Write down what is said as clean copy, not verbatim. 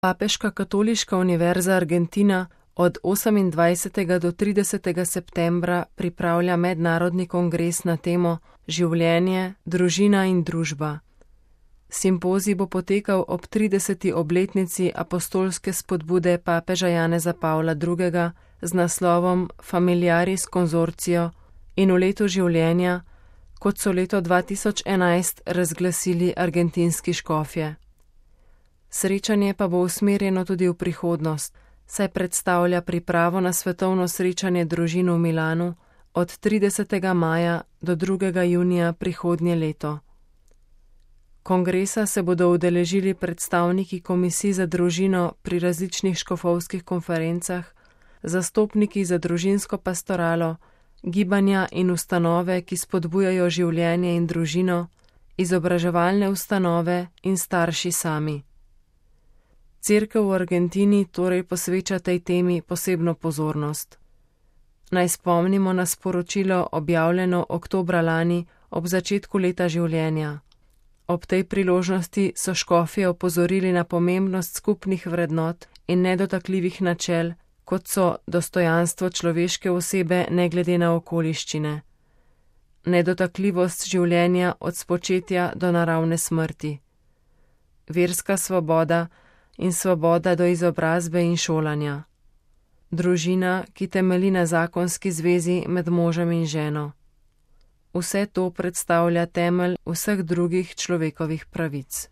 Papeška katoliška univerza Argentina od 28. do 30. septembra pripravlja mednarodni kongres na temo Življenje, družina in družba. Simpozij bo potekal ob 30. obletnici apostolske spodbude papeža Janeza Pavla II. Z naslovom Familiaris Consortio in v letu življenja, kot so leto 2011 razglasili argentinski škofje. Srečanje pa bo usmerjeno tudi v prihodnost, saj predstavlja pripravo na svetovno srečanje družin v Milanu od 30. maja do 2. junija prihodnje leto. Kongresa se bodo udeležili predstavniki komisij za družino pri različnih škofovskih konferencah, zastopniki za družinsko pastoralo, gibanja in ustanove, ki spodbujajo življenje in družino, izobraževalne ustanove in starši sami. Cerkev v Argentini torej posveča tej temi posebno pozornost. Naj spomnimo na sporočilo objavljeno oktobra lani ob začetku leta življenja. Ob tej priložnosti so škofje opozorili na pomembnost skupnih vrednot in nedotakljivih načel, kot so dostojanstvo človeške osebe ne glede na okoliščine, nedotakljivost življenja od spočetja do naravne smrti, verska svoboda in svoboda do izobrazbe in šolanja, družina, ki temelji na zakonski zvezi med možem in ženo. Vse to predstavlja temelj vseh drugih človekovih pravic.